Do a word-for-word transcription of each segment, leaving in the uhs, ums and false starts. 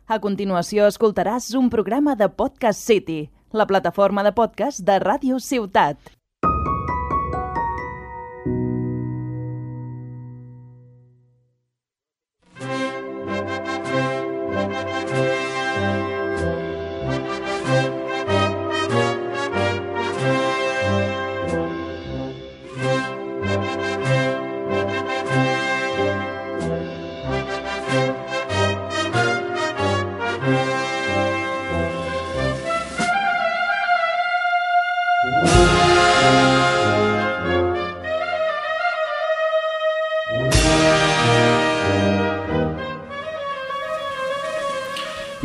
A continuació escoltaràs un programa de Podcast City, la plataforma de podcast de Ràdio Ciutat.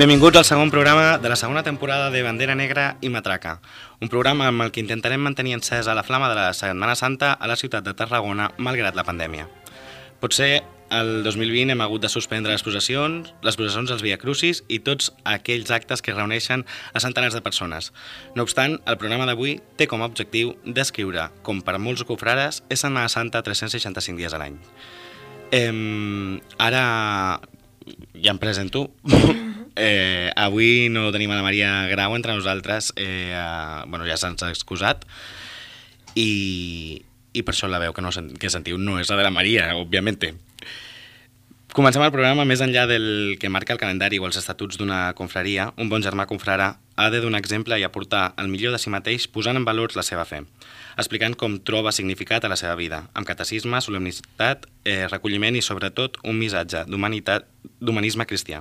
Benvinguts al segon programa de la segona temporada de Bandera Negra i Matraca, un programa amb el que intentarem mantenir encesa la flama de la Setmana Santa a la ciutat de Tarragona, malgrat la pandèmia. Potser el dos mil vint hem hagut de suspendre les processions, les processions dels Via Crucis i tots aquells actes que reuneixen a centenars de persones. No obstant, el programa d'avui té com a objectiu descriure, com per molts cofrares, és Setmana Santa tres-cents seixanta-cinc dies a l'any. Eh, ara ja em presento. Eh, avui no tenim a la Maria Grau entre nosaltres, eh, eh, bueno, ja se'ns ha excusat i, i per això la veu que, no, que sentiu no és la de la Maria, òbviament. Comencem el programa. Més enllà del que marca el calendari o els estatuts d'una confraria, un bon germà confrare ha de donar exemple i aportar el millor de si mateix posant en valor la seva fe, explicant com troba significat a la seva vida, amb catecisme, solemnitat, eh, recolliment i sobretot un missatge d'humanitat, d'humanisme cristià.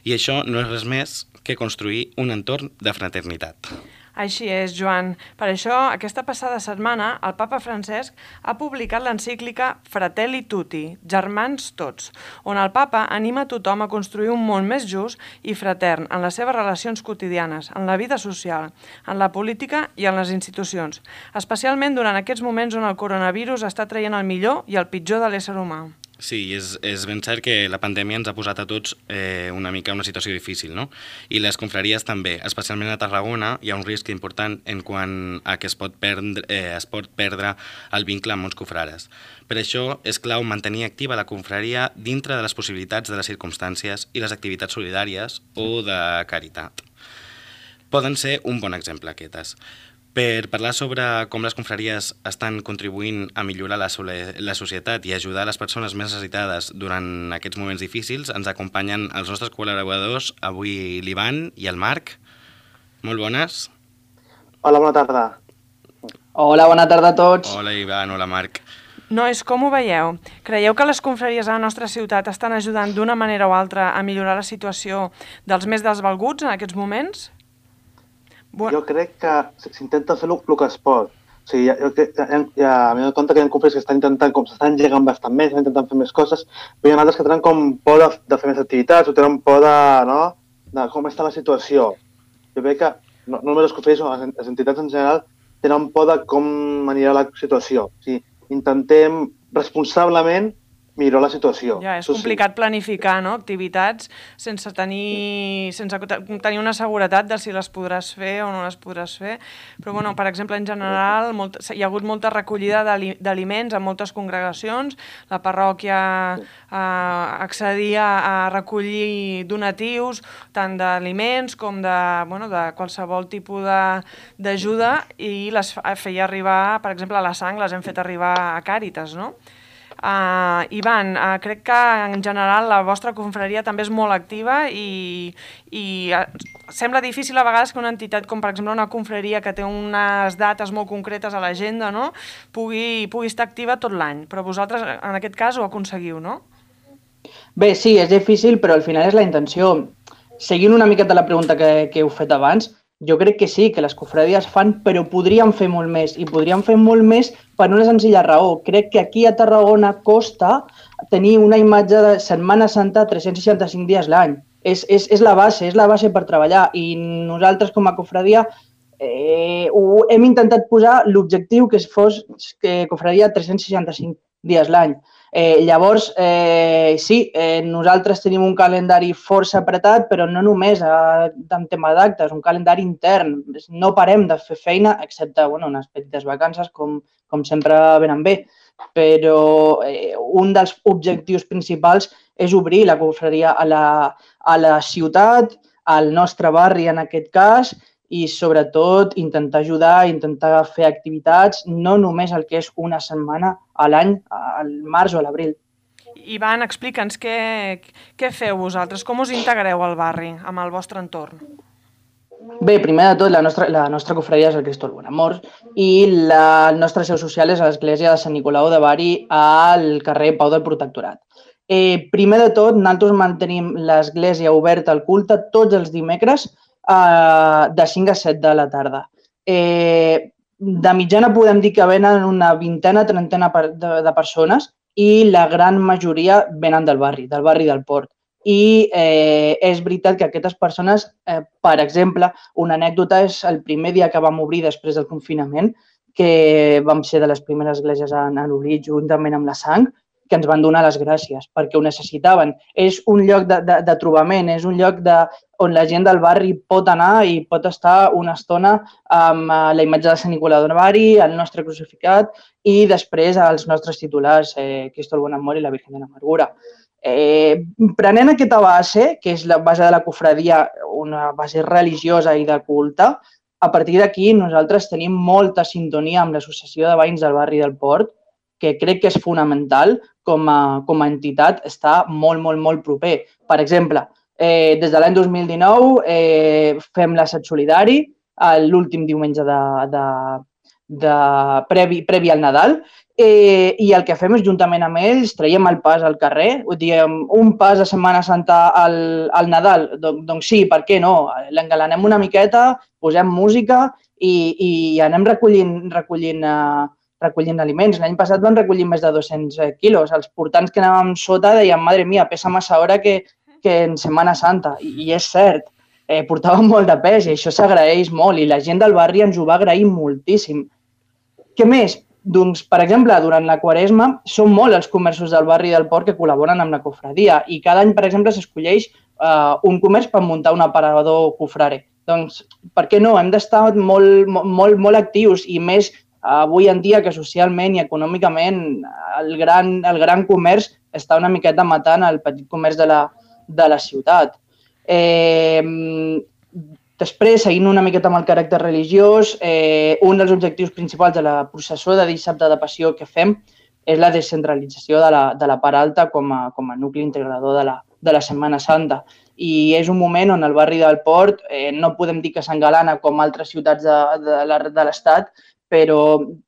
I això no és res més que construir un entorn de fraternitat. Així és, Joan. Per això, aquesta passada setmana, el papa Francesc ha publicat l'encíclica Fratelli Tutti, Germans Tots, on el papa anima a tothom a construir un món més just i fratern en les seves relacions quotidianes, en la vida social, en la política i en les institucions, especialment durant aquests moments on el coronavirus està traient el millor i el pitjor de l'ésser humà. Sí, és, és ben cert que la pandèmia ens ha posat a tots eh, una mica en una situació difícil, no? I les confraries també, especialment a Tarragona, hi ha un risc important en quant a que es pot perdre, eh, es pot perdre el vincle amb molts cofrares. Per això és clau mantenir activa la confraria dintre de les possibilitats de les circumstàncies i les activitats solidàries o de caritat. Poden ser un bon exemple aquestes. Per parlar sobre com les confraries estan contribuint a millorar la, la societat i ajudar les persones més necessitades durant aquests moments difícils, ens acompanyen els nostres col·laboradors, avui l'Ivan i el Marc. Molt bones. Hola, bona tarda. Hola, bona tarda a tots. Hola, Ivan, hola, Marc. Nois, com ho veieu? Creieu que les confraries a la nostra ciutat estan ajudant d'una manera o altra a millorar la situació dels més desvalguts en aquests moments? Jo crec que s'intenta fer el que es pot. O sigui, jo crec que ja m'he donat compte que hi ha confraries que estan intentant, com s'estan engegant bastant més, estan intentant fer més coses, però hi ha altres que tenen com por de, de fer més activitats o tenen por de, no, de com està la situació. Jo crec que no, no només les confraries, sinó les entitats en general tenen por de com anirà la situació. O sigui, intentem responsablement millorar la situació. Ja, és complicat planificar, no?, activitats sense tenir, sense tenir una seguretat de si les podràs fer o no les podràs fer. Però, bueno, per exemple, en general, molt, hi ha hagut molta recollida d'aliments en moltes congregacions. La parròquia eh, accedia a recollir donatius, tant d'aliments com de, bueno, de qualsevol tipus d'ajuda, i les feia arribar, per exemple, a la sang les hem fet arribar a Càritas, no? Uh, Ivan, uh, crec que en general la vostra confraria també és molt activa i, i uh, sembla difícil a vegades que una entitat com per exemple una confraria que té unes dates molt concretes a l'agenda, no?, pugui, pugui estar activa tot l'any, però vosaltres en aquest cas ho aconseguiu, no? Bé, sí, és difícil, però al final és la intenció. Seguint una miqueta la pregunta que, que heu fet abans, jo crec que sí, que les confraries fan, però podrien fer molt més, i podrien fer molt més per una senzilla raó. Crec que aquí a Tarragona costa tenir una imatge de Setmana Santa tres-cents seixanta-cinc dies l'any. És, és, és la base, és la base per treballar, i nosaltres com a confraria eh, ho, hem intentat posar l'objectiu que fos que confraria tres-cents seixanta-cinc dies l'any. Eh, llavors, eh, sí, eh, nosaltres tenim un calendari força apretat, però no només eh, en tema d'actes, un calendari intern. No parem de fer feina, excepte bueno, unes petites vacances, com, com sempre venen bé. Però eh, un dels objectius principals és obrir la confraria a la, a la ciutat, al nostre barri en aquest cas, i sobretot intentar ajudar, intentar fer activitats, no només el que és una setmana a l'any, al març o a l'abril. Ivan, explica'ns què, què feu vosaltres, com us integreu al barri, amb el vostre entorn? Bé, primer de tot, la nostra, la nostra cofradia és el Cristo del Bon Amor i la, el nostre seu social és a l'església de Sant Nicolau de Bari al carrer Pau del Protectorat. Eh, primer de tot, nosaltres mantenim l'església oberta al culte tots els dimecres eh, de cinc a set de la tarda. Eh, de mitjana podem dir que venen una vintena, trentena de, de persones i la gran majoria venen del barri, del barri del Port. I eh, és veritat que aquestes persones, eh, per exemple, una anècdota és el primer dia que vam obrir després del confinament, que vam ser de les primeres esglésies en, en obrir juntament amb la Sang, que ens van donar les gràcies perquè ho necessitaven. És un lloc de, de, de trobament, és un lloc de, on la gent del barri pot anar i pot estar una estona amb la imatge de Sant Nicolau de Bari, el nostre crucificat i després els nostres titulars, eh, Cristo el Bon Amor i la Virgen de l'Amargura. Eh, prenent aquesta base, que és la base de la cofradia, una base religiosa i de culte, a partir d'aquí nosaltres tenim molta sintonia amb l'Associació de Veïns del Barri del Port, que crec que és fonamental com a, com a entitat, està molt, molt, molt proper. Per exemple, eh, des de l'any dos mil dinou eh, fem l'assaig solidari, l'últim diumenge de, de, de previ, previ al Nadal, Eh, i el que fem és, juntament amb ells, traiem el pas al carrer, diem, un pas de Setmana Santa al, al Nadal, doncs, doncs sí, per què no? L'engalanem una miqueta, posem música i, i anem recollint, recollint, uh, recollint aliments. L'any passat vam recollir més de dos-cents quilos. Els portants que anàvem sota deien, madre mia, pesa massa hora que, que en Setmana Santa. I, i és cert, eh, portàvem molt de pes i això s'agraeix molt i la gent del barri ens ho va agrair moltíssim. Què més? Doncs, per exemple, durant la Quaresma són molt els comerços del barri del Port que col·laboren amb la cofradia i cada any, per exemple, s'escolleix uh, un comerç per muntar un aparador cofrare. Doncs, per què no? Hem d'estar molt, molt, molt actius i més uh, avui en dia que socialment i econòmicament el gran, el gran comerç està una miqueta matant el petit comerç de la, de la ciutat. Eh, Després, seguint una miqueta amb el caràcter religiós, eh, un dels objectius principals de la processó de dissabte de Passió que fem és la descentralització de la, de la part alta com a, com a nucli integrador de la, de la Setmana Santa. I és un moment on el barri del Port eh, no podem dir que s'engalana com altres ciutats de, de, de l'Estat, però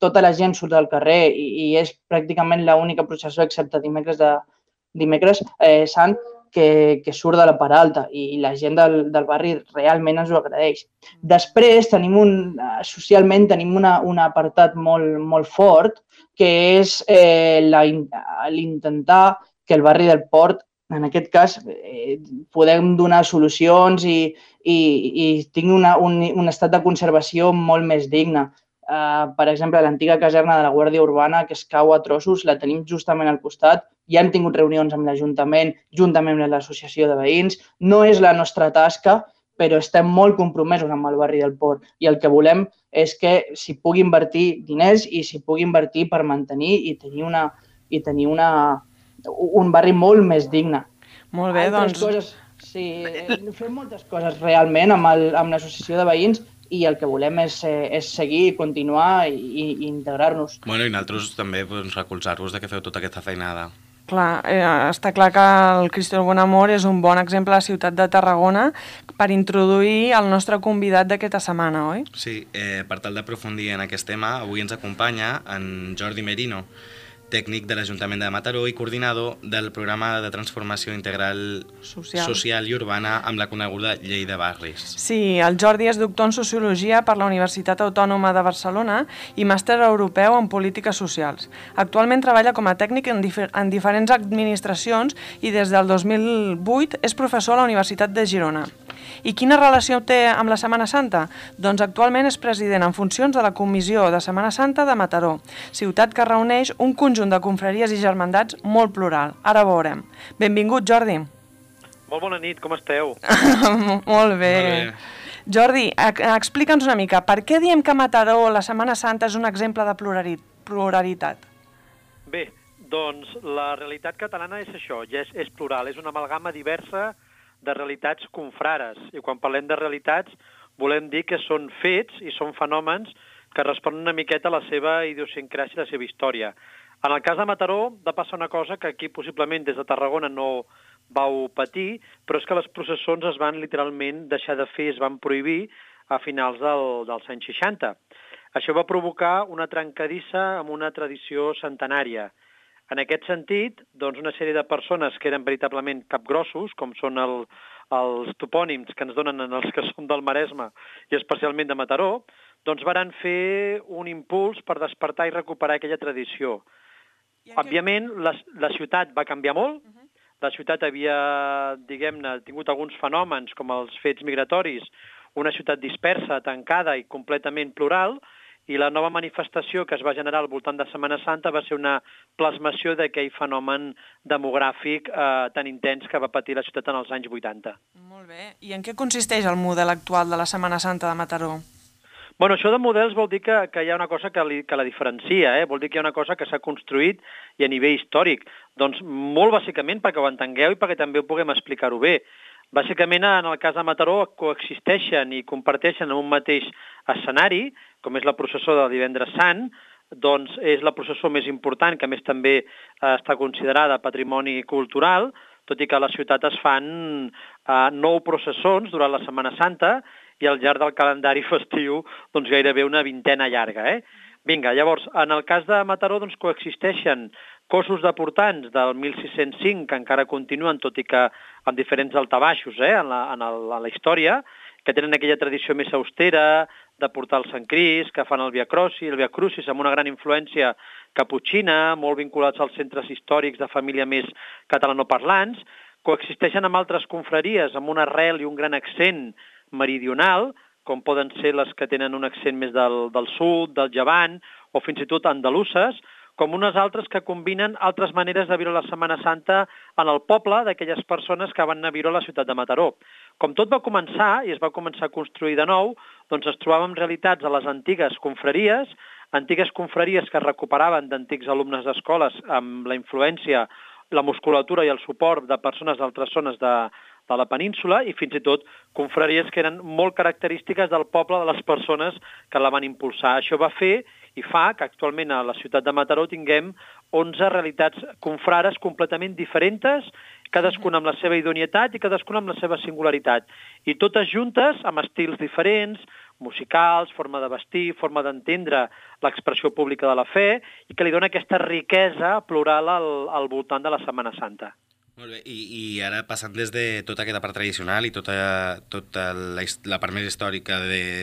tota la gent surt al carrer i, i és pràcticament l'única processó, excepte dimecres, de, dimecres eh, sant, Que, que surt de la part alta i la gent del, del barri realment ens ho agraeix. Després, tenim un, socialment tenim una, un apartat molt, molt fort que és eh, l'intentar que el barri del Port, en aquest cas, eh, podem donar solucions i, i, i tingui una, un, un estat de conservació molt més digne. Uh, per exemple, l'antiga caserna de la Guàrdia Urbana, que es cau a trossos, la tenim justament al costat. Ja hem tingut reunions amb l'Ajuntament, juntament amb l'Associació de Veïns. No és la nostra tasca, però estem molt compromesos amb el barri del Port. I el que volem és que s'hi pugui invertir diners i s'hi pugui invertir per mantenir i tenir, una, i tenir una, un barri molt més digne. Molt bé, Altres doncs... Coses, sí, fem moltes coses realment amb l'Associació de Veïns i el que volem és, és seguir, continuar i, i integrar-nos. Bueno, i nosaltres també doncs, recolzar-vos de que feu tota aquesta feinada. Clar, eh, està clar que el Cristo del Bon Amor és un bon exemple a la ciutat de Tarragona per introduir el nostre convidat d'aquesta setmana, oi? Sí, eh, per tal d'aprofundir en aquest tema, avui ens acompanya en Jordi Merino, tècnic de l'Ajuntament de Mataró i coordinador del programa de transformació integral social, social i urbana amb la coneguda Llei de Barris. Sí, el Jordi és doctor en Sociologia per la Universitat Autònoma de Barcelona i màster europeu en Polítiques Socials. Actualment treballa com a tècnic en, difer en diferents administracions i des del dos mil vuit és professor a la Universitat de Girona. I quina relació té amb la Setmana Santa? Doncs actualment és president en funcions de la Comissió de Setmana Santa de Mataró, ciutat que reuneix un conjunt de confraries i germandats molt plural. Ara veurem. Benvingut, Jordi. Molt bona nit, com esteu? Molt bé. Molt bé. Jordi, explica'ns una mica, per què diem que a Mataró la Setmana Santa és un exemple de pluralitat? Bé, Doncs la realitat catalana és això, ja és, és plural, és una amalgama diversa de realitats confrares. I quan parlem de realitats volem dir que són fets i són fenòmens que responen una miqueta a la seva idiosincràsia i la seva història. En el cas de Mataró va passar una cosa que aquí possiblement des de Tarragona no vau patir, però és que les processons es van literalment deixar de fer, es van prohibir a finals del, dels anys seixanta. Això va provocar una trencadissa amb una tradició centenària. En aquest sentit, doncs una sèrie de persones que eren veritablement capgrossos, com són el, els topònims que ens donen en els que som del Maresme i especialment de Mataró, doncs varen fer un impuls per despertar i recuperar aquella tradició. Òbviament, la, la ciutat va canviar molt. Uh-huh. La ciutat havia, diguem-ne, tingut alguns fenòmens com els fets migratoris, una ciutat dispersa, tancada i completament plural, i la nova manifestació que es va generar al voltant de Setmana Santa va ser una plasmació d'aquell fenomen demogràfic eh, tan intens que va patir la ciutat en els anys vuitanta. Molt bé. I en què consisteix el model actual de la Setmana Santa de Mataró? Bueno, això de models vol dir que, que hi ha una cosa que, li, que la diferencia, eh? Vol dir que hi ha una cosa que s'ha construït i a nivell històric. Doncs molt bàsicament perquè ho entengueu i perquè també ho puguem explicar-ho bé. Bàsicament, en el cas de Mataró, coexisteixen i comparteixen en un mateix escenari, com és la processó del Divendres Sant, doncs és la processó més important, que a més també eh, està considerada patrimoni cultural, tot i que a la ciutat es fan eh, nou processons durant la Setmana Santa i al llarg del calendari festiu doncs gairebé una vintena llarga. Eh? Vinga, llavors, en el cas de Mataró doncs, coexisteixen cossos de portants del mil sis-cents cinc, que encara continuen, tot i que amb diferents altabaixos eh, en, la, en, el, en la història, que tenen aquella tradició més austera de portar el Sant Crist, que fan el Via Crucis, el Via Crucis amb una gran influència caputxina, molt vinculats als centres històrics de família més catalanoparlants, coexisteixen amb altres confraries amb una arrel i un gran accent meridional, com poden ser les que tenen un accent més del, del sud, del llevant, o fins i tot andaluses, com unes altres que combinen altres maneres de viure la Setmana Santa en el poble d'aquelles persones que van anar a viure a la ciutat de Mataró. Com tot va començar, i es va començar a construir de nou, doncs es trobàvem realitats a les antigues confraries, antigues confraries que es recuperaven d'antics alumnes d'escoles amb la influència, la musculatura i el suport de persones d'altres zones de, de la península i fins i tot confraries que eren molt característiques del poble de les persones que la van impulsar. Això va fer i fa que actualment a la ciutat de Mataró tinguem onze realitats confrares completament diferents, cadascuna amb la seva idoneïtat i cadascuna amb la seva singularitat. I totes juntes, amb estils diferents, musicals, forma de vestir, forma d'entendre l'expressió pública de la fe, i que li dona aquesta riquesa plural al, al voltant de la Setmana Santa. Molt bé, i, i ara passant des de tota aquesta part tradicional i tota, tota la, la part més històrica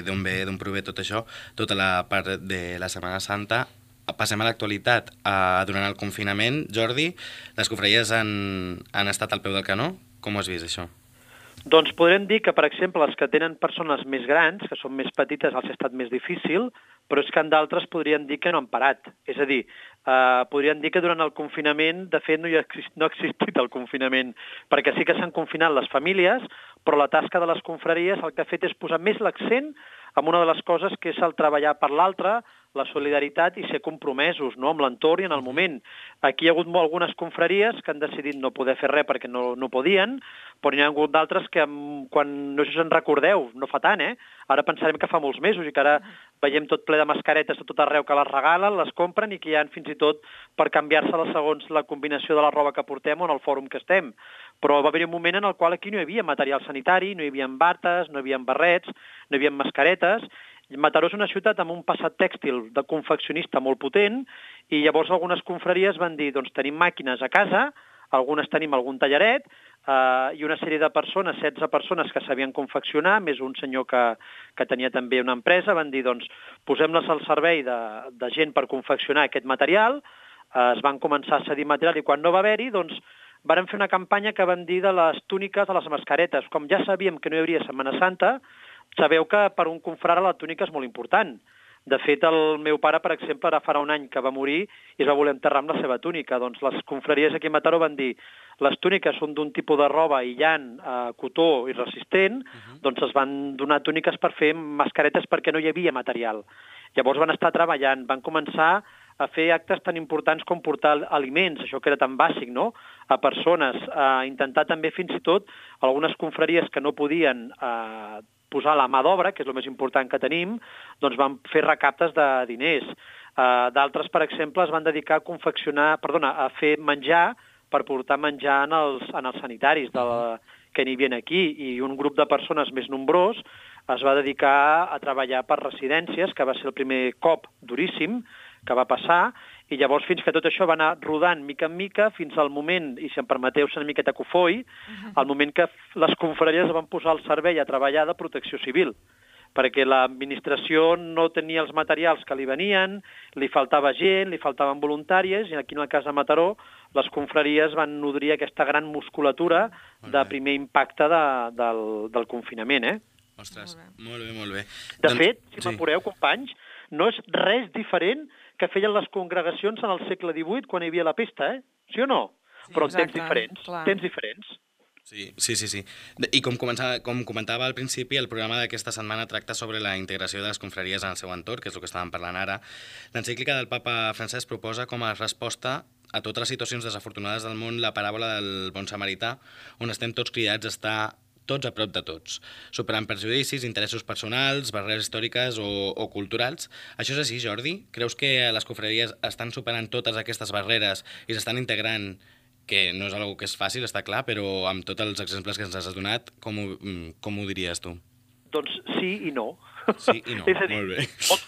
d'on ve, d'on prové tot això, tota la part de la Setmana Santa, passem a l'actualitat. Uh, durant el confinament, Jordi, les confraries han, han estat al peu del canó? Com ho has vist, això? Doncs podrem dir que, per exemple, les que tenen persones més grans, que són més petites, els ha estat més difícil, però és que en d'altres podrien dir que no han parat. És a dir, eh, podrien dir que durant el confinament, de fet, no, hi ha, no ha existit el confinament, perquè sí que s'han confinat les famílies, però la tasca de les confraries el que ha fet és posar més l'accent en una de les coses que és el treballar per l'altre, la solidaritat i ser compromesos, no?, amb l'entorn i en el moment. Aquí hi ha hagut molt, algunes confraries que han decidit no poder fer res perquè no, no podien, però hi ha hagut d'altres que, quan no sé si us en recordeu, no fa tant, eh? Ara pensarem que fa molts mesos i que ara veiem tot ple de mascaretes a tot arreu que les regalen, les compren i que hi ha fins i tot per canviar-se-les segons la combinació de la roba que portem o en el fòrum que estem. Però va haver un moment en el qual aquí no hi havia material sanitari, no hi havia bates, no hi havia barrets, no hi havia mascaretes. Mataró és una ciutat amb un passat tèxtil de confeccionista molt potent i llavors algunes confraries van dir, doncs tenim màquines a casa, algunes tenim algun tallaret eh, i una sèrie de persones, setze persones que sabien confeccionar, més un senyor que, que tenia també una empresa, van dir, doncs posem-les al servei de, de gent per confeccionar aquest material, eh, es van començar a cedir material i quan no va haver-hi, doncs varen fer una campanya que van dir de les túniques a les mascaretes. Com ja sabíem que no hi hauria Setmana Santa, sabeu que per un confrare la túnica és molt important. De fet, el meu pare, per exemple, ara farà un any que va morir i es va voler enterrar amb la seva túnica. Doncs les confraries aquí a Mataró van dir les túniques són d'un tipus de roba aïllant, eh, cotó i resistent, uh-huh. doncs es van donar túniques per fer mascaretes perquè no hi havia material. Llavors van estar treballant, van començar a fer actes tan importants com portar aliments, això que era tan bàsic, no?, a persones, a intentar també fins i tot algunes confraries que no podien eh, posar la mà d'obra, que és el més important que tenim, doncs van fer recaptes de diners. Uh, d'altres, per exemple, es van dedicar a confeccionar, perdona, a fer menjar per portar menjar en els, en els sanitaris de la, que n'hi havia aquí, i un grup de persones més nombrós es va dedicar a treballar per residències, que va ser el primer cop duríssim que va passar, i llavors fins que tot això va anar rodant mica en mica fins al moment, i si em permeteu ser una miqueta cofoi, al moment que les confraries van posar al servei a treballar de protecció civil, perquè l'administració no tenia els materials que li venien, li faltava gent, li faltaven voluntàries, i aquí en el cas de Mataró les confraries van nodrir aquesta gran musculatura de primer impacte de, del, del confinament. Eh? Ostres, molt bé, molt bé. De doncs, fet, si sí. m'apureu, companys, no és res diferent que feien les congregacions en el segle divuit quan hi havia la pesta, eh? Sí o no? Sí, però en temps diferents, clar. temps diferents. Sí, sí, sí. sí. I com, començava, com comentava al principi, el programa d'aquesta setmana tracta sobre la integració de les confraries en el seu entorn, que és el que estàvem parlant ara. L'encíclica del papa Francesc proposa com a resposta a totes les situacions desafortunades del món la paràbola del bon samarità, on estem tots cridats a estar tots a prop de tots, superant prejudicis, interessos personals, barreres històriques o, o culturals. Això és així, Jordi? Creus que les confraries estan superant totes aquestes barreres i s'estan integrant, que no és una cosa que és fàcil, està clar, però amb tots els exemples que ens has donat, com ho, com ho diries tu? Doncs sí i no. Sí i no, és a dir, molt bé.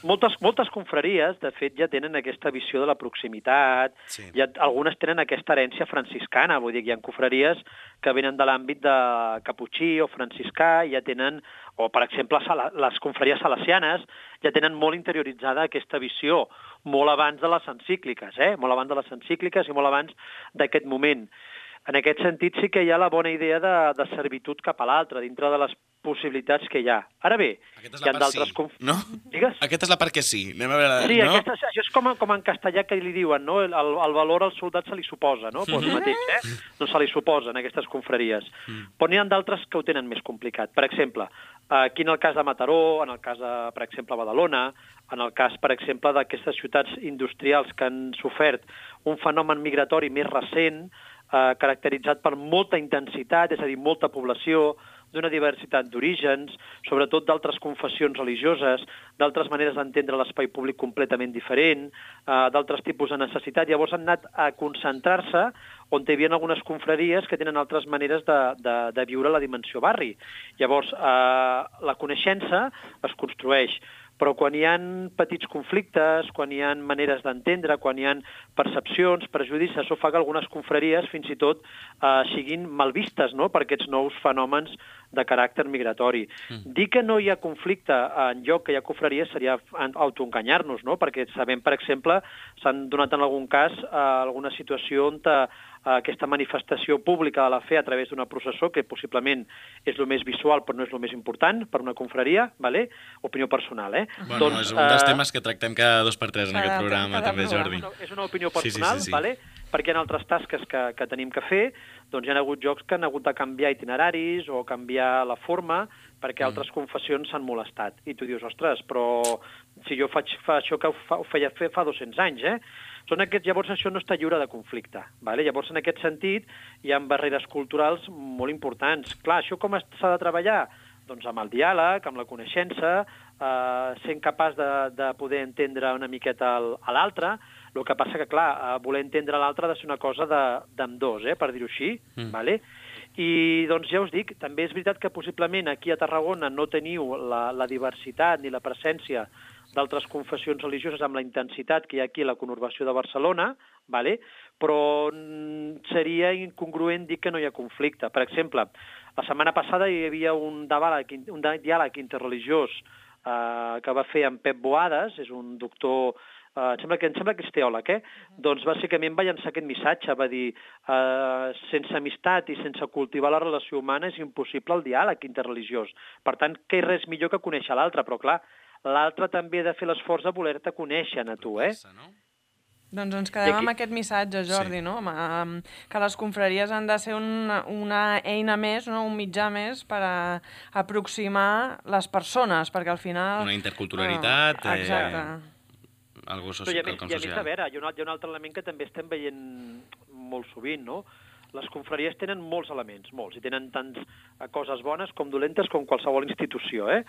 Moltes, moltes confraries, de fet, ja tenen aquesta visió de la proximitat, sí. ja, algunes tenen aquesta herència franciscana, vull dir que hi ha confraries que venen de l'àmbit de caputxí o franciscà, ja tenen, o per exemple les confraries salesianes, ja tenen molt interioritzada aquesta visió, molt abans de les encícliques, eh? molt abans de les encícliques i molt abans d'aquest moment. En aquest sentit sí que hi ha la bona idea de, de servitud cap a l'altre, dintre de les possibilitats que hi ha. Ara bé, hi ha d'altres... Sí, conf... no? Digues? Aquesta és la part que sí. Anem a veure, sí, no? aquesta, això és com, com en castellà que li diuen, no? El, el valor al soldat se li suposa, no? Pues el mateix, eh? No se li suposa en aquestes confraries. Mm. Però n'hi ha d'altres que ho tenen més complicat. Per exemple, aquí en el cas de Mataró, en el cas de, per exemple, Badalona, en el cas, per exemple, d'aquestes ciutats industrials que han sofert un fenomen migratori més recent, eh, caracteritzat per molta intensitat, és a dir, molta població, d'una diversitat d'orígens, sobretot d'altres confessions religioses, d'altres maneres d'entendre l'espai públic completament diferent, eh, d'altres tipus de necessitat. Llavors han anat a concentrar-se on hi havia algunes confraries que tenen altres maneres de, de, de viure la dimensió barri. Llavors, eh, la coneixença es construeix, però quan hi ha petits conflictes, quan hi ha maneres d'entendre, quan hi ha percepcions, prejudicis, això fa que algunes confraries fins i tot eh, siguin mal vistes, no?, per aquests nous fenòmens de caràcter migratori. Mm. Dir que no hi ha conflicte en lloc que hi ha confraries seria autoenganyar-nos, no?, perquè sabem, per exemple, s'han donat en algun cas eh, alguna situació on eh, aquesta manifestació pública de la fe a través d'una processó, que possiblement és el més visual però no és el més important per una confraria, vale? Opinió personal, eh? Bueno, doncs, és un dels uh, temes que tractem cada dos per tres en aquest programa, també, Jordi. És una opinió personal, sí, sí, sí, sí. Vale? Perquè hi ha altres tasques que, que tenim que fer, doncs hi ha hagut jocs que han hagut de canviar itineraris o canviar la forma perquè altres mm. confessions s'han molestat. I tu dius, ostres, però si jo faig fa això que ho, fa, ho feia fer fa dos-cents anys, eh? Són aquests, llavors això no està lliure de conflicte. Vale? Llavors, en aquest sentit, hi ha barreres culturals molt importants. Clar, això com s'ha de treballar? Doncs amb el diàleg, amb la coneixença, eh, sent capaç de, de poder entendre una miqueta el, a l'altre. El que passa que, clar, eh, voler entendre l'altre ha de ser una cosa d'ambdós, eh, per dir-ho així. Mm. Vale? I, doncs, ja us dic, també és veritat que possiblement aquí a Tarragona no teniu la, la diversitat ni la presència d'altres confessions religioses amb la intensitat que hi ha aquí a la conurbació de Barcelona, vale? Però seria incongruent dir que no hi ha conflicte. Per exemple, la setmana passada hi havia un diàleg, un diàleg interreligiós eh, que va fer en Pep Boades, és un doctor, eh, em, sembla que, em sembla que és teòleg, eh? Uh-huh. Doncs bàsicament va llançar aquest missatge, va dir eh, sense amistat i sense cultivar la relació humana és impossible el diàleg interreligiós. Per tant, que res millor que conèixer l'altre, però clar, l'altre també ha de fer l'esforç de voler-te conèixer a tu, eh? Doncs ens quedem aquí amb aquest missatge, Jordi, sí. no? Que les confraries han de ser una, una eina més, no? Un mitjà més per a aproximar les persones, perquè al final... Una interculturalitat... Uh, exacte. Eh, algú No, i a més, quelcom i a més, a social. veure, hi ha, un, hi ha un altre element que també estem veient molt sovint, no? Les confraries tenen molts elements, molts, i tenen tants coses bones com dolentes com qualsevol institució, eh?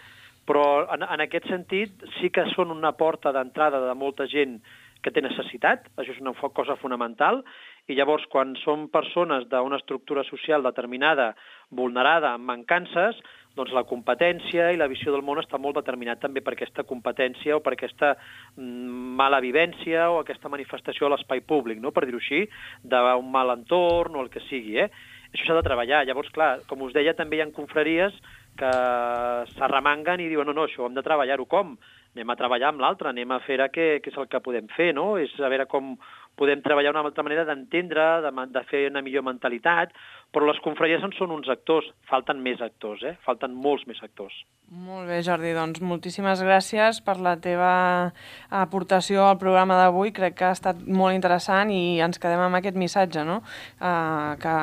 Però en, en aquest sentit sí que són una porta d'entrada de molta gent que té necessitat, això és una cosa fonamental, i llavors quan són persones d'una estructura social determinada, vulnerada, amb mancances, doncs la competència i la visió del món està molt determinat també per aquesta competència o per aquesta mala vivència o aquesta manifestació a l'espai públic, no? Per dir-ho així, d'un mal entorn o el que sigui, eh? Això s'ha de treballar. Llavors, clar, com us deia, també hi ha confraries que s'arremanguen i diuen no, no, això ho hem de treballar-ho com? Anem a treballar amb l'altre, anem a fer què, què és el que podem fer, no? És a veure com podem treballar una altra manera d'entendre, de, de fer una millor mentalitat, però les confraries en són uns actors, falten més actors, eh? Falten molts més actors. Molt bé, Jordi, doncs moltíssimes gràcies per la teva aportació al programa d'avui. Crec que ha estat molt interessant i ens quedem amb aquest missatge, no? Uh, que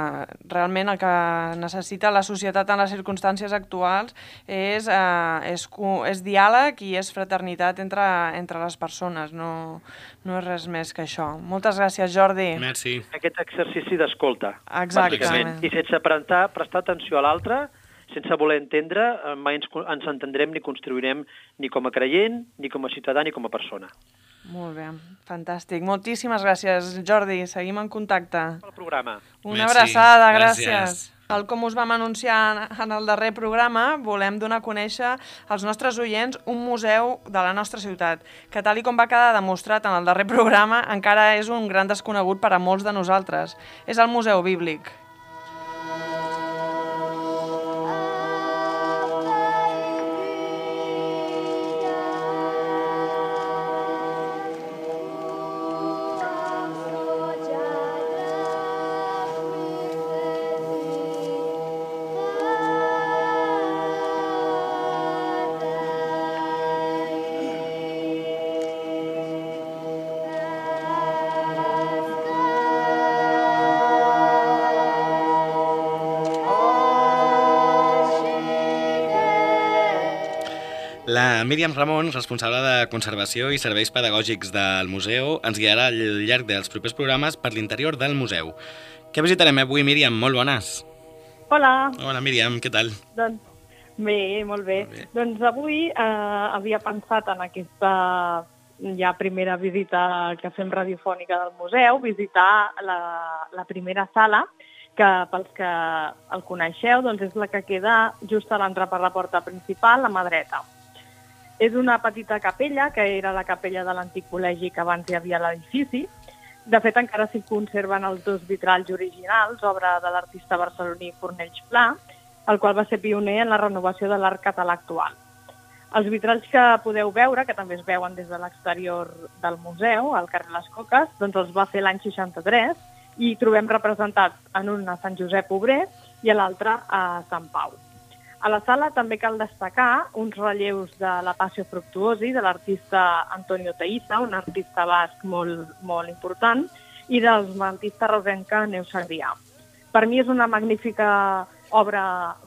realment el que necessita la societat en les circumstàncies actuals és, uh, és, és diàleg i és fraternitat entre, entre les persones, no, no és res més que això. Moltes gràcies, Jordi. Merci. Aquest exercici d'escolta. Exactament. I sense prestar, prestar atenció a l'altre, sense voler entendre, mai ens, ens entendrem ni construirem ni com a creient, ni com a ciutadà, ni com a persona. Molt bé, fantàstic. Moltíssimes gràcies, Jordi. Seguim en contacte. Pel programa. Una Merci. abraçada, gràcies. Gràcies. Tal com us vam anunciar en el darrer programa, volem donar a conèixer als nostres oients un museu de la nostra ciutat, que tal i com va quedar demostrat en el darrer programa, encara és un gran desconegut per a molts de nosaltres. És el Museu Bíblic. La Míriam Ramon, responsable de Conservació i Serveis Pedagògics del museu, ens guiarà al llarg dels propers programes per l'interior del museu. Què visitarem avui, Míriam? Molt bones. Hola. Hola, Míriam, què tal? Doncs bé, molt bé. Molt bé. Doncs avui eh, havia pensat en aquesta ja primera visita que fem radiofònica del museu, visitar la, la primera sala, que pels que el coneixeu doncs és la que queda just a l'entrar per la porta principal, a mà dreta. És una petita capella, que era la capella de l'antic col·legi que abans hi havia a l'edifici. De fet, encara s'hi conserven els dos vitralls originals, obra de l'artista barceloní Fornells Pla, el qual va ser pioner en la renovació de l'art català actual. Els vitralls que podeu veure, que també es veuen des de l'exterior del museu, al carrer Les Coques, doncs els va fer l'any seixanta-tres i trobem representats en un a Sant Josep Obrer i a l'altre a Sant Pau. A la sala també cal destacar uns relleus de la Passio Fructuosi de l'artista Antonio Teiza, un artista basc molt, molt important, i del mantista rosenca Neus Sagrià. Per mi és una magnífica obra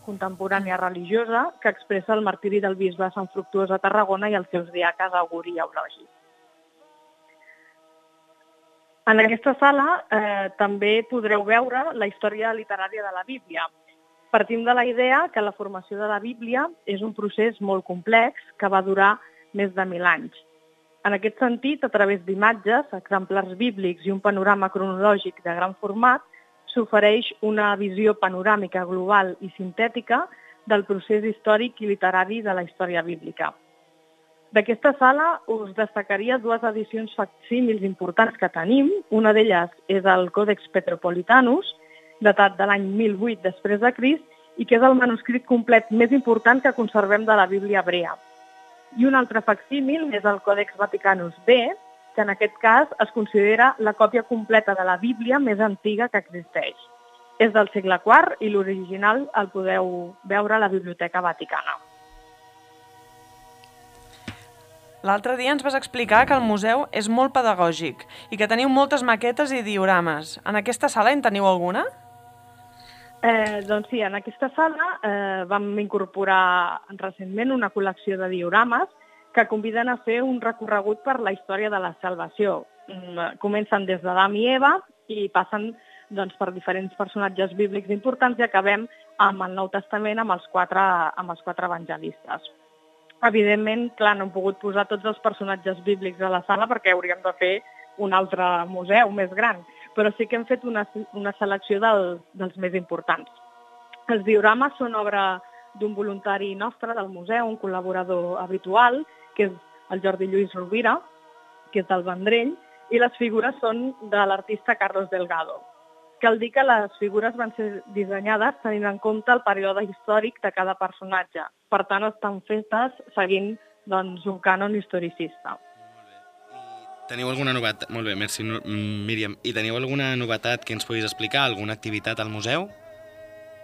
contemporània religiosa que expressa el martiri del bisbe de Sant Fructuós a Tarragona i els seus diaques Auguri i Eulogi. En aquesta sala eh, també podreu veure la història literària de la Bíblia. Partim de la idea que la formació de la Bíblia és un procés molt complex que va durar més de mil anys. En aquest sentit, a través d'imatges, exemplars bíblics i un panorama cronològic de gran format, s'ofereix una visió panoràmica global i sintètica del procés històric i literari de la història bíblica. D'aquesta sala us destacaria dues edicions facsímils importants que tenim. Una d'elles és el Còdex Petropolitanus, datat de l'any mil vuit després de Crist, i que és el manuscrit complet més important que conservem de la Bíblia hebrea. I un altre facsímil és el Còdex Vaticanus B, que en aquest cas es considera la còpia completa de la Bíblia més antiga que existeix. És del segle quart i l'original el podeu veure a la Biblioteca Vaticana. L'altre dia ens vas explicar que el museu és molt pedagògic i que teniu moltes maquetes i diorames. En aquesta sala en teniu alguna? Eh, doncs sí, en aquesta sala eh, vam incorporar recentment una col·lecció de diorames que conviden a fer un recorregut per la història de la salvació. Comencen des d'Adam i Eva i passen doncs, per diferents personatges bíblics importants i acabem amb el Nou Testament, amb els quatre, amb els quatre evangelistes. Evidentment, clar, no hem pogut posar tots els personatges bíblics a la sala perquè hauríem de fer un altre museu més gran, però sí que hem fet una, una selecció del, dels més importants. Els diorames són obra d'un voluntari nostre del museu, un col·laborador habitual, que és el Jordi Lluís Rovira, que és del Vendrell, i les figures són de l'artista Carlos Delgado. Cal dir que les figures van ser dissenyades tenint en compte el període històric de cada personatge. Per tant, estan fetes seguint doncs, un cànon historicista. Teniu alguna novetat? Molt bé, merci, Míriam. I teniu alguna novetat que ens puguis explicar? Alguna activitat al museu?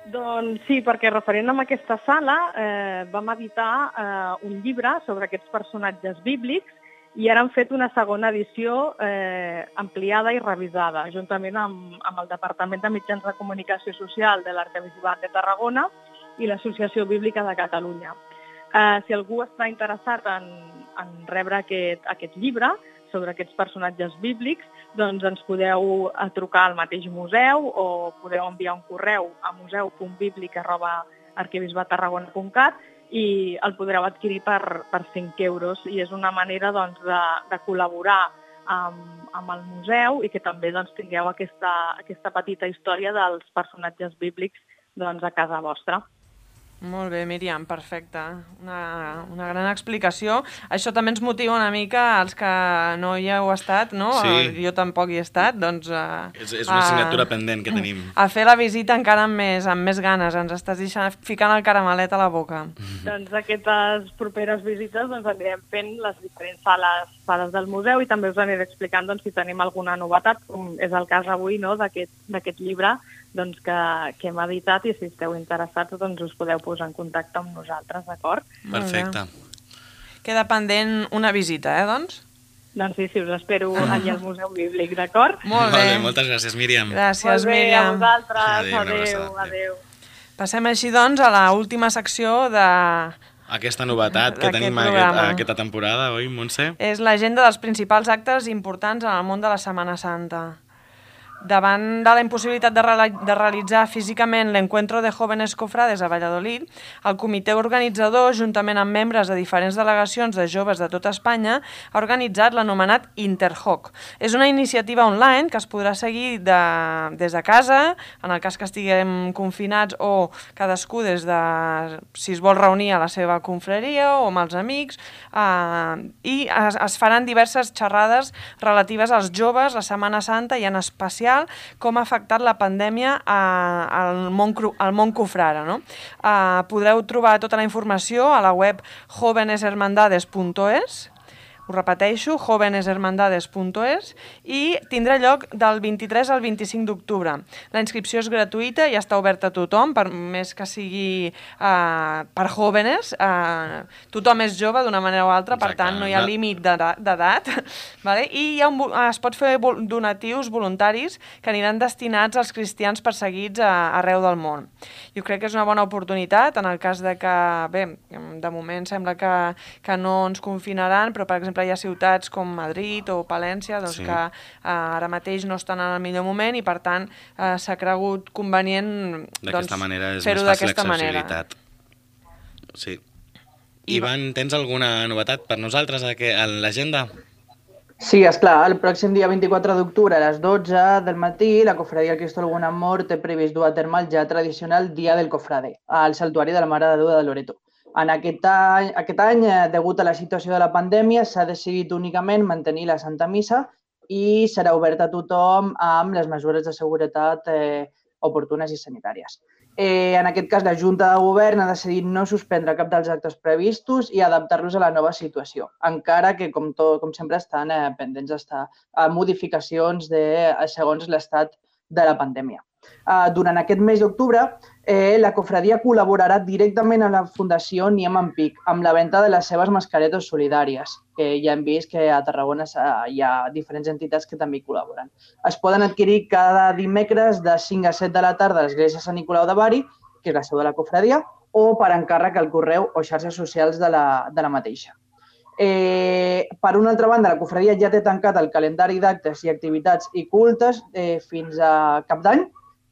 Doncs sí, perquè referent a aquesta sala eh, vam editar eh, un llibre sobre aquests personatges bíblics i ara han fet una segona edició eh, ampliada i revisada, juntament amb, amb el Departament de Mitjans de Comunicació Social de l'Arquebisbat de Tarragona i l'Associació Bíblica de Catalunya. Eh, si algú està interessat en, en rebre aquest, aquest llibre sobre aquests personatges bíblics, doncs ens podeu trucar al mateix museu o podeu enviar un correu a museu punt bíblic arroba arquebisbat tarragona punt cat i el podreu adquirir per, per cinc euros i és una manera doncs, de, de col·laborar amb, amb el museu i que també doncs, tingueu aquesta, aquesta petita història dels personatges bíblics doncs, a casa vostra. Molt bé, Míriam, perfecte. Una, una gran explicació. Això també ens motiva una mica als que no hi heu estat, no? Sí. Jo tampoc hi he estat, doncs... Uh, és, és una assignatura uh, pendent que tenim. A fer la visita encara amb més, amb més ganes. Ens estàs deixant, ficant el caramelet a la boca. Doncs aquestes properes visites doncs, anirem fent les diferents sales, sales del museu i també us aniré explicant doncs, si tenim alguna novetat, com és el cas avui no, d'aquest llibre doncs, que, que hem editat i si esteu interessats doncs, us podeu posar en contacte amb nosaltres, d'acord? Perfecte. Queda pendent una visita, eh, doncs? Doncs sí, sí, us espero allà al Museu Bíblic, d'acord? Molt bé. Molt bé, moltes gràcies, Míriam. Gràcies, Molt bé, Míriam. a vosaltres. Adéu, Adéu, adéu. Passem així, doncs, a l'última secció de... Aquesta novetat que tenim aquest, aquesta temporada, oi, Montse? És l'agenda dels principals actes importants en el món de la Setmana Santa. Davant de la impossibilitat de, de realitzar físicament l'Encuentro de Jóvenes Cofrades a Valladolid, el comitè organitzador, juntament amb membres de diferents delegacions de joves de tota Espanya, ha organitzat l'anomenat Interjoc. És una iniciativa online que es podrà seguir de, des de casa, en el cas que estiguem confinats, o cadascú des de, si es vol reunir a la seva confraria o amb els amics, eh, i es, es faran diverses xerrades relatives als joves, la Setmana Santa i en especial com ha afectat la pandèmia al món, al món cofrare. No? Uh, podreu trobar tota la informació a la web jóvenes hermandades punt es, ho repeteixo, jóvenes hermandades punt es, i tindrà lloc del vint-i-tres al vint-i-cinc d'octubre. La inscripció és gratuïta i està oberta a tothom, per més que sigui uh, per jóvenes. Uh, tothom és jove d'una manera o altra, per tant no hi ha límit d'edat. Vale? I hi ha un, es pot fer donatius voluntaris que aniran destinats als cristians perseguits a, arreu del món. Jo crec que és una bona oportunitat en el cas de que, bé, de moment sembla que, que no ens confinaran, però per exemple hi ha ciutats com Madrid o Palència doncs, sí. que uh, ara mateix no estan en el millor moment i per tant uh, s'ha cregut convenient doncs, fer-ho d'aquesta manera. Sí. Ivan, tens alguna novetat per nosaltres a l'agenda? Sí, esclar, el pròxim dia vint-i-quatre d'octubre a les dotze del matí la Cofradia del Cristo Algun Amor té previst dur a terme el ja tradicional Dia del Cofrade al Santuari de la Mare de Déu de Loreto. En aquest any, aquest any, degut a la situació de la pandèmia, s'ha decidit únicament mantenir la Santa Missa i serà oberta a tothom amb les mesures de seguretat eh, oportunes i sanitàries. Eh, en aquest cas, la Junta de Govern ha decidit no suspendre cap dels actes previstos i adaptar-los a la nova situació, encara que, com, tot, com sempre, estan eh, pendents d'estar a modificacions de, segons l'estat de la pandèmia. Uh, durant aquest mes d'octubre, eh, la cofradia col·laborarà directament amb la Fundació Niem en Pic amb la venda de les seves mascaretes solidàries, que ja hem vist que a Tarragona hi ha diferents entitats que també hi col·laboren. Es poden adquirir cada dimecres de cinc a set de la tarda a l'Església Sant Nicolau de Bari, que és la seu de la cofradia, o per encàrrec al correu o xarxes socials de la, de la mateixa. Eh, per una altra banda, la cofradia ja té tancat el calendari d'actes i activitats i cultes eh, fins a cap d'any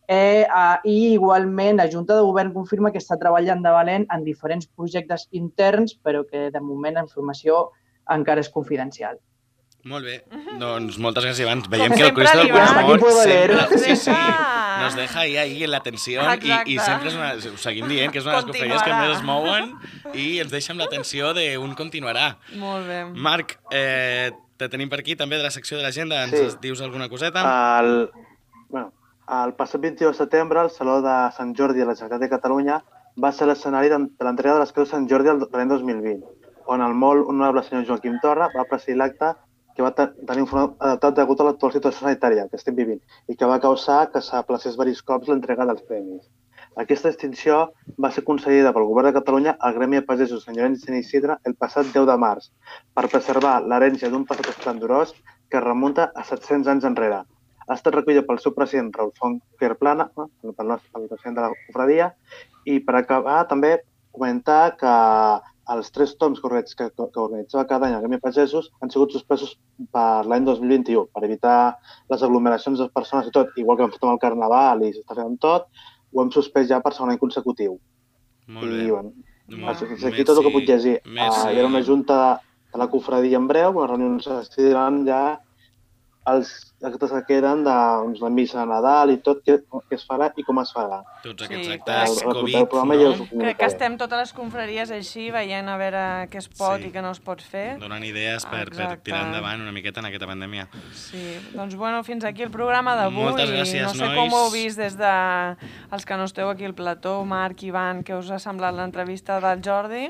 eh, eh, i igualment la Junta de Govern confirma que està treballant de valent en diferents projectes interns, però que de moment la informació encara és confidencial. Molt bé, doncs moltes gràcies, Iván. Veiem Com que el sempre, Cristo del l'Iván. Buen Humor Aquí puedo leer. sempre, sí, sí, Ah. nos deja ahí, ahí en la tensió i, Exacte. i sempre és una, ho seguim dient que és una de les cofradies que Continuarà. més es mouen i ens deixa amb la tensió d'un continuarà. Molt bé. Marc, eh, te tenim per aquí també de la secció de l'agenda, ens Sí. dius alguna coseta? El, bueno, el passat vint-i-u de setembre, el Saló de Sant Jordi a la Generalitat de Catalunya va ser l'escenari de l'entrega de les Creus de Sant Jordi de l'any dos mil vint, on el molt honorable senyor Joaquim Torra va presidir l'acte que va tenir un format adaptat degut a l'actual situació sanitària que estem vivint i que va causar que s'aplacés diversos cops l'entrega dels premis. Aquesta distinció va ser concedida pel Govern de Catalunya al Gremi de Pagesos Sant Llorenç de Sant Isidre el passat deu de març per preservar l'herència d'un passat esplendorós que es remunta a set-cents anys enrere. Ha estat recollida pel seu president Raül Font Querplana, no? pel nostre pel president de la cofradia, i per acabar també comentar que els tres toms que, que, que organitzava cada any el Gremi de Pagesos han sigut suspesos per l'any dos mil vint-i-u per evitar les aglomeracions de persones i tot, igual que hem fet amb el Carnaval i s'està fent amb tot, ho hem suspès ja per segon any consecutiu. Molt bé. I, bueno, Molt fins bé. aquí tot el que puc llegir. Merci. Uh, hi ha una junta de la cofradia en breu, una reunió on s'estiran ja els actes que queden de doncs, la missa de Nadal i tot, què, què es farà i com es farà. Tots aquests Sí, actes El- el Covid, programa ja us ho no? Crec que comunicaré. estem totes les confraries així, veient a veure què es pot Sí. i què no es pot fer. Donen idees per, per Exacte. tirar endavant una miqueta en aquesta pandèmia. Sí, doncs bueno, fins aquí el programa d'avui. Moltes gràcies, No sé nois. com ho heu vist des de els que no esteu aquí al plató, Marc, Ivan, què us ha semblat l'entrevista del Jordi?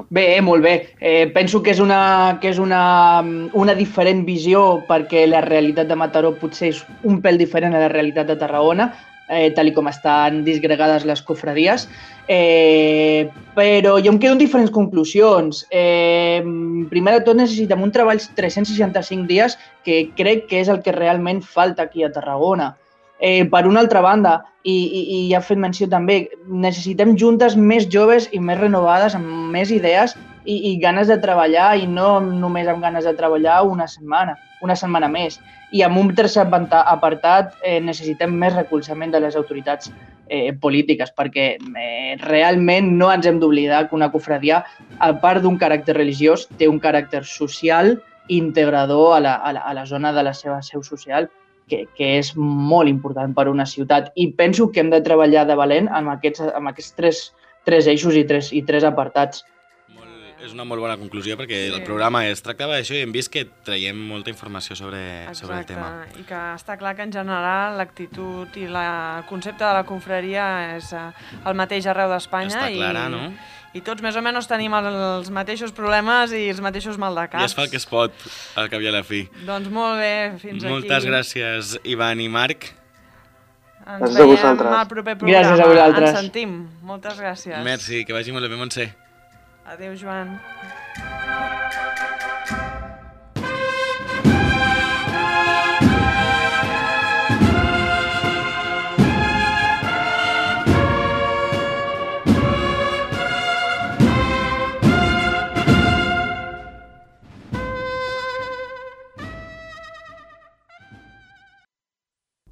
Bé, eh, molt bé. Eh, penso que és, una, que és una, una diferent visió perquè la realitat de Mataró potser és un pèl diferent a la realitat de Tarragona, eh, tal i com estan disgregades les cofradies. Eh, però jo em quedo en diferents conclusions. Eh, primer de tot necessitem un treball tres-cents seixanta-cinc dies que crec que és el que realment falta aquí a Tarragona. Eh, per una altra banda, i, i, i ja he fet menció també, necessitem juntes més joves i més renovades, amb més idees i, i ganes de treballar, i no només amb ganes de treballar una setmana, una setmana més. I amb un tercer apartat eh, necessitem més recolzament de les autoritats eh, polítiques, perquè eh, realment no ens hem d'oblidar que una cofradia, a part d'un caràcter religiós, té un caràcter social integrador a la, a la, a la zona de la seva seu social, que, que és molt important per a una ciutat. I penso que hem de treballar de valent amb aquests, amb aquests tres, tres eixos i tres, i tres apartats. Molt, és una molt bona conclusió perquè Sí. el programa es tractava d'això i hem vist que traiem molta informació sobre, sobre el Exacte, tema. i que està clar que en general l'actitud i la, el concepte de la confraria és eh, el mateix arreu d'Espanya. Està clara, i, no? I tots més o menys tenim el, els mateixos problemes i els mateixos maldecaps. I es fa el que es pot, al cap i a la fi. Doncs molt bé, fins Moltes aquí. gràcies, Ivan i Marc. Ens Gràcies a veiem vosaltres. al proper programa. Gràcies a vosaltres. Ens sentim. Moltes gràcies. Merci, que vagi molt bé, Montse. Adéu, Joan.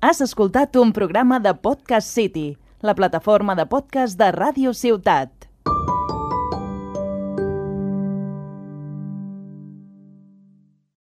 Has escoltat un programa de Podcast City, la plataforma de podcast de Ràdio Ciutat.